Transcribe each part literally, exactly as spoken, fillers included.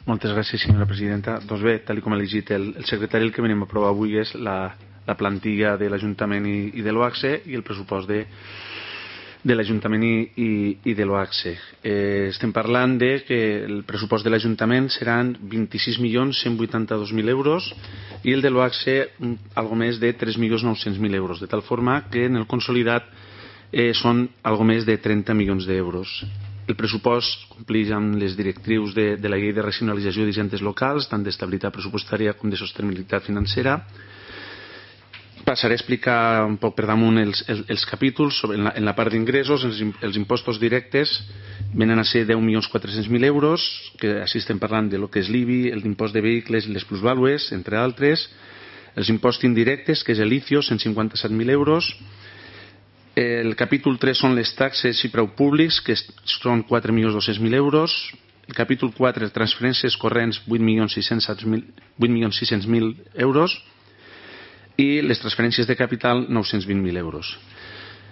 Moltes gràcies, senyora presidenta. Doncs bé, tal com ha llegit el, el secretari, el que venim a aprovar avui és la, la plantilla de l'Ajuntament i, i de l'OACSE i el pressupost de, de l'Ajuntament i, i, i de l'OACSE. Eh, estem parlant de que el pressupost de l'Ajuntament seran vint-i-sis milions cent vuitanta-dos mil euros i el de l'OACSE algo més de tres milions nou-cents mil euros, de tal forma que en el consolidat eh, són algo més de trenta milions d'euros. El pressupost compleix amb les directrius de, de la llei de racionalització d'hisendes locals, tant d'estabilitat pressupostària com de sostenibilitat financera. Passaré a explicar un poc per damunt els, els, els capítols. Sobre, en, la, en la part d'ingressos, els, els impostos directes venen a ser deu milions quatre-cents mil euros, que així estem parlant de lo que és l'I B I, l'impost de vehicles i les plusvàlues, entre altres. Els impostos indirectes, que és l'I C I O, cent cinquanta-set mil euros. El capítol tres són les taxes i preu públics, que són quatre milions dos-cents mil euros. El capítol quatre, transferències corrents, vuit milions sis-cents mil euros. I les transferències de capital, nou-cents vint mil euros.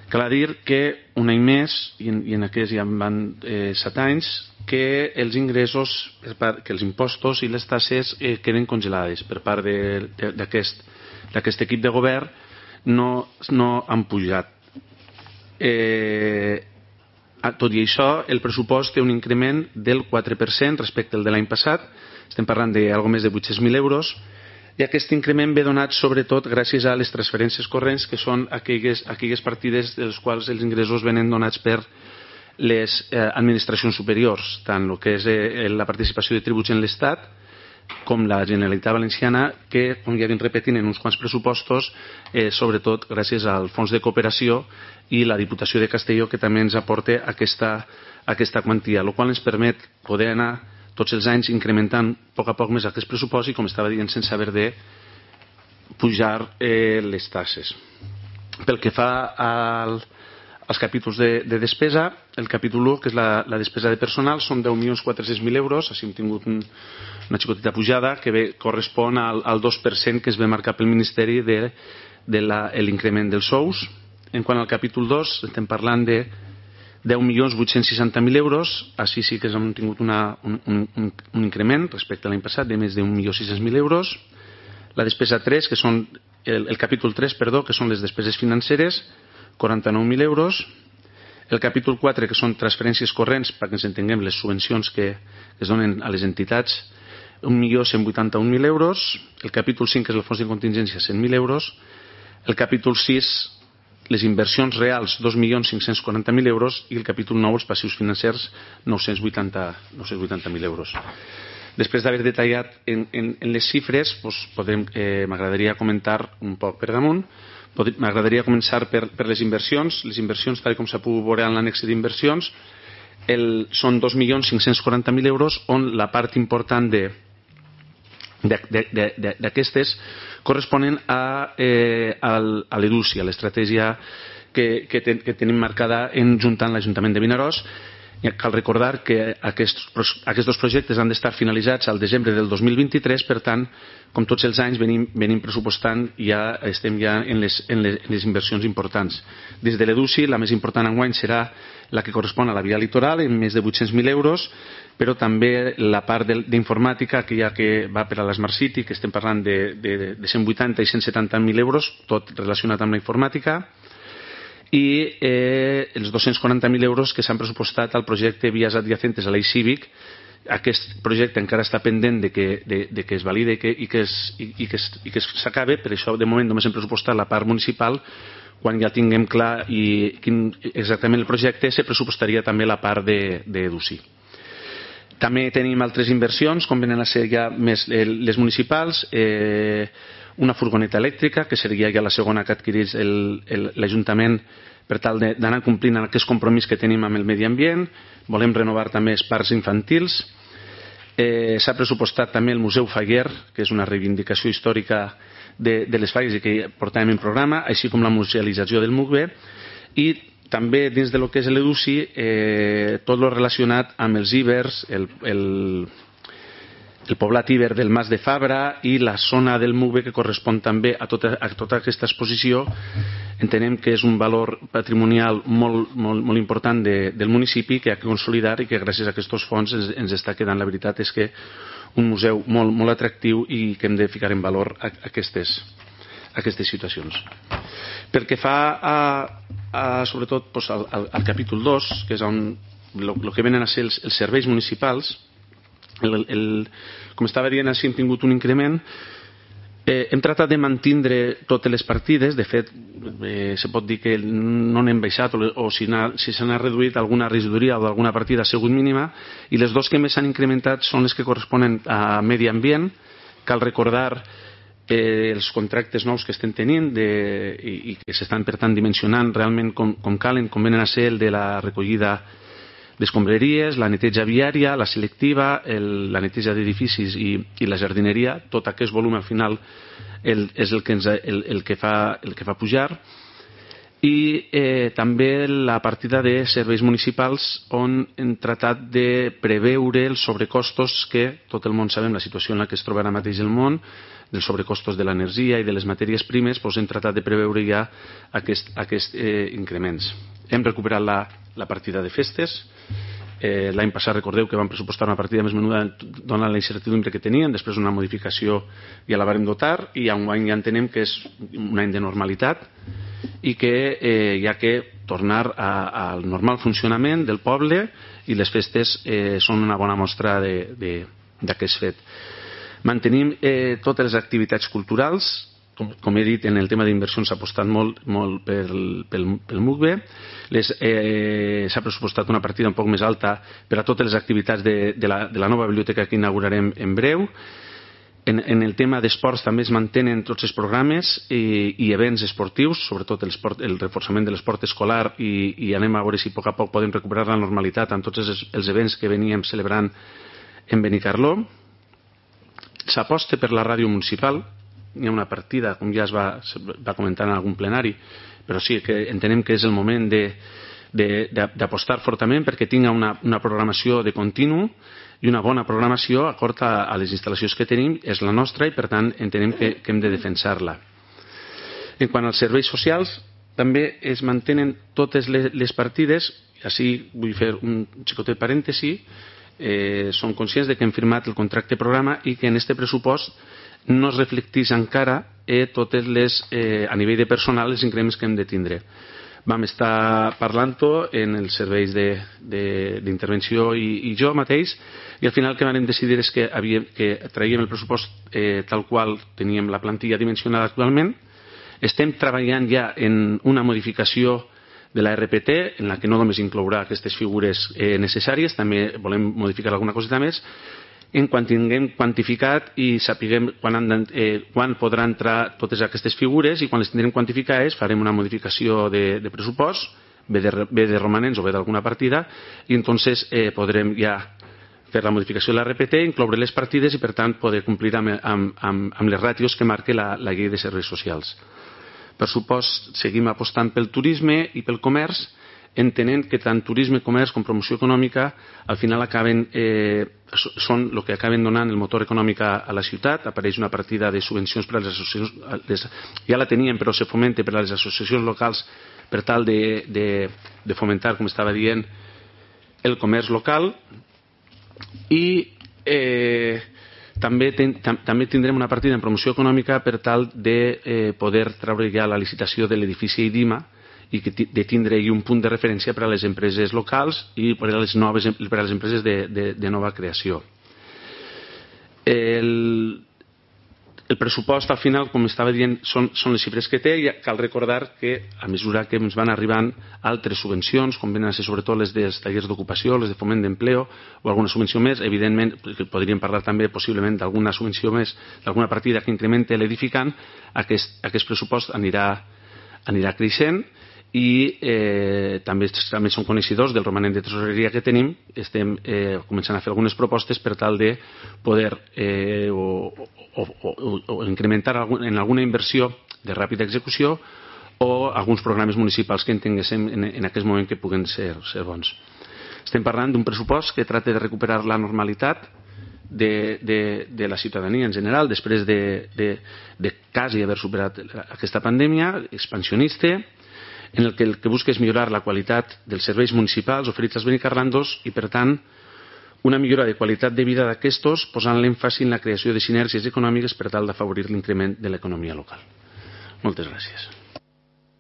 Cal dir que un any més, i en, i en aquest ja van eh, set anys, que els ingressos, que els impostos i les taxes eh, queden congelades per part d'aquest equip de govern, no, no han pujat. Eh, tot i això, el pressupost té un increment del quatre per cent respecte al de l'any passat. Estem parlant d'algo més de vuit-cents mil euros, i aquest increment ve donat sobretot gràcies a les transferències corrents, que són aquelles, aquelles partides dels quals els ingressos venen donats per les eh, administracions superiors, tant el que és eh, la participació de tributs en l'Estat com la Generalitat Valenciana, que, com ja anem repetint en uns quants pressupostos, eh, sobretot gràcies al Fons de Cooperació i la Diputació de Castelló, que també ens aporta aquesta, aquesta quantia, el qual ens permet poder anar tots els anys incrementant a poc a poc més aquest pressupost i, com estava dient, sense haver de pujar eh, les taxes. Pel que fa al els capítols de, de despesa, el capítol u, que és la, la despesa de personal, són deu milions quatre-cents mil euros, així hem tingut un, una xicoteta pujada que ve, correspon al, al dos per cent que es ve marcar pel Ministeri de, de l'increment dels sous. En quant al capítol dos, estem parlant de deu milions vuit-cents seixanta mil euros, així sí que hem tingut una, un, un, un increment respecte a l'any passat de més d'un milió sis-cents mil euros. La despesa tres, que són el, el capítol tres, perdó, que són les despeses financeres, quaranta-nou mil euros. El capítol quatre, que són transferències corrents, perquè ens entenguem les subvencions que es donen a les entitats, un milió cent vuitanta-un mil euros. El capítol cinc, que és el fons de contingència, cent mil euros. El capítol sis, les inversions reals, dos milions cinc-cents quaranta mil euros. I el capítol nou, els passius financers, nou-cents vuitanta mil euros. Després d'haver detallat en, en, en les xifres, doncs podem, eh, m'agradaria comentar un poc per damunt. M'agradaria començar per, per les inversions. Les inversions, tal com s'ha pogut veure en l'annexe d'inversions, el, són dos milions cinc-cents quaranta mil euros, on la part important d'aquestes corresponen a, eh, a l'EDUSI, a l'estratègia que, que, ten, que tenim marcada en juntant l'Ajuntament de Vinaròs. Cal recordar que aquests, aquests dos projectes han d'estar finalitzats al desembre del dos mil vint-i-tres, per tant, com tots els anys venim, venim pressupostant i ja estem ja en les, en les, en les inversions importants. Des de l'EDUSI, la més important enguany serà la que correspon a la via litoral, en més de vuit-cents mil euros, però també la part d'informàtica, que ja que va per a l'Smart City, que estem parlant de, de, de cent vuitanta i cent setanta mil euros, tot relacionat amb la informàtica, i eh, els dos-cents quaranta mil euros que s'han pressupostat al projecte Vies Adyacentes a l'Eix Cívic. Aquest projecte encara està pendent de que, de, de que es valide i que, i que, es, i, i que, es, i que s'acabe, per això de moment només hem pressupostat la part municipal. Quan ja tinguem clar i quin, exactament el projecte, se pressupostaria també la part d'EDUSI. També tenim altres inversions, com venen a ser ja més les municipals, eh, una furgoneta elèctrica, que seria ja la segona que adquirís l'Ajuntament per tal d'anar complint aquest compromís que tenim amb el medi ambient. Volem renovar també els parcs infantils. Eh, S'ha pressupostat també el Museu Faguer, que és una reivindicació històrica de, de les falles i que portàvem en programa, així com la musealització del M U C B, i també dins de lo que és l'EDUSI, eh, tot lo relacionat amb els ibers, el, el, el poblat iber del Mas de Fabra i la zona del M U C B que correspon també a tota, a tota aquesta exposició, entenem que és un valor patrimonial molt, molt, molt important de, del municipi que ha de consolidar i que gràcies a aquests fons ens, ens està quedant, la veritat és que un museu molt, molt atractiu i que hem de ficar en valor a, a aquestes, a aquestes situacions. Pel que fa a, a sobretot doncs, al, al, al capítol dos, que és on el que venen a ser els, els serveis municipals, el, el, com estava dient, així hem tingut un increment. Eh, hem tratat de mantindre totes les partides. De fet, eh, se pot dir que no n'hem baixat, o, o si, si se n'ha reduït alguna regidoria o alguna partida ha sigut mínima, i les dues que més s'han incrementat són les que corresponen a medi ambient. Cal recordar eh, els contractes nous que estem tenint de, i, i que s'estan per tant dimensionant realment com, com calen, com venen a ser el de la recollida d'escombraries, la neteja viària, la selectiva, el, la neteja d'edificis i, i la jardineria. Tot aquest volum al final el, és el que, ens, el, el, que fa, el que fa pujar. I eh, també la partida de serveis municipals, on hem tratat de preveure els sobrecostos que tot el món sabem, la situació en la que es troba ara mateix el món, dels sobrecostos de l'energia i de les matèries primes, doncs hem tratat de preveure ja aquests aquest, eh, increments. Hem recuperat la, la partida de festes. Eh, l'any passat recordeu que vam pressupostar una partida més menuda donant la incertidumbre que tenien, després una modificació ja la vam dotar, i enguany ja entenem que és un any de normalitat i que eh, hi ha que tornar a, al normal funcionament del poble, i les festes eh, són una bona mostra d'aquest fet. Mantenim eh, totes les activitats culturals. Com, com he dit, en el tema d'inversions s'ha apostat molt, molt pel, pel, pel M U C B. Eh, s'ha pressupostat una partida un poc més alta per a totes les activitats de, de, la, de la nova biblioteca que inaugurarem en breu. En, en el tema d'esports també es mantenen tots els programes i, i events esportius, sobretot el, esport, el reforçament de l'esport escolar, i, i anem a veure si a poc a poc podem recuperar la normalitat amb tots els, els events que veníem celebrant en Benicarló. S'aposta per la ràdio municipal. Hi ha una partida, com ja es va, va comentar en algun plenari, però sí que entenem que és el moment d'apostar fortament perquè tinga una, una programació de continu i una bona programació acord a, a les instal·lacions que tenim. És la nostra i per tant entenem que, que hem de defensar-la. En quant als serveis socials, també es mantenen totes les, les partides. Així vull fer un xicotet parèntesi. Eh, som conscients de que hem firmat el contracte programa i que en este pressupost no es reflecteix encara eh, totes les, eh, a nivell de personal, els increments que hem de tindre. Vam estar parlant-ho en els serveis d'intervenció i, i jo mateix, i al final el que vam decidir és que, havíem, que traiem el pressupost eh, tal qual teníem la plantilla dimensionada actualment. Estem treballant ja en una modificació de la R P T, en la que no només inclourà aquestes figures eh, necessàries, també volem modificar alguna coseta més. En quan tinguem quantificat i sapiguem quan, han de, eh, quan podran entrar totes aquestes figures, i quan les tindrem quantificades farem una modificació de, de pressupost, bé de, bé de romanents o bé d'alguna partida, i entonces eh, podrem ja fer la modificació de la R P T, incloure les partides i per tant poder complir amb, amb, amb, amb les ràtios que marca la, la llei de serveis socials. Per supost, seguim apostant pel turisme i pel comerç, entenent que tant turisme, comerç com promoció econòmica al final acaben, eh, són el que acaben donant el motor econòmic a, a la ciutat. Apareix una partida de subvencions per a les associacions, les, ja la teníem però se fomenta per a les associacions locals per tal de, de, de fomentar, com estava dient, el comerç local. I eh, també, ten, tam, també tindrem una partida en promoció econòmica per tal de eh, poder treure ja la licitació de l'edifici IDIMA i que de tindre un punt de referència per a les empreses locals i per a les, noves, per a les empreses de, de, de nova creació. El, el pressupost al final, com estava dient, són, són les xifres que té, i cal recordar que a mesura que ens van arribant altres subvencions, com venen a ser sobretot les dels tallers d'ocupació, les de foment d'empleo o alguna subvenció més, evidentment podríem parlar també possiblement d'alguna subvenció més, d'alguna partida que incremente l'edificant, aquest, aquest pressupost anirà, anirà creixent. I eh, també, també som coneixedors del romanent de tresoreria que tenim. Estem eh, començant a fer algunes propostes per tal de poder eh, o, o, o, o incrementar algun, en alguna inversió de ràpida execució o alguns programes municipals que entenguéssim en, en aquest moment que puguen ser, ser bons. Estem parlant d'un pressupost que tracta de recuperar la normalitat de, de, de la ciutadania en general després de, de, de quasi haver superat aquesta pandèmia, expansionista, en el que el que busca és millorar la qualitat dels serveis municipals oferits als benicarlandos i, per tant, una millora de qualitat de vida d'aquestos, posant l'èmfasi en la creació de sinergies econòmiques per tal d'afavorir l'increment de l'economia local. Moltes gràcies.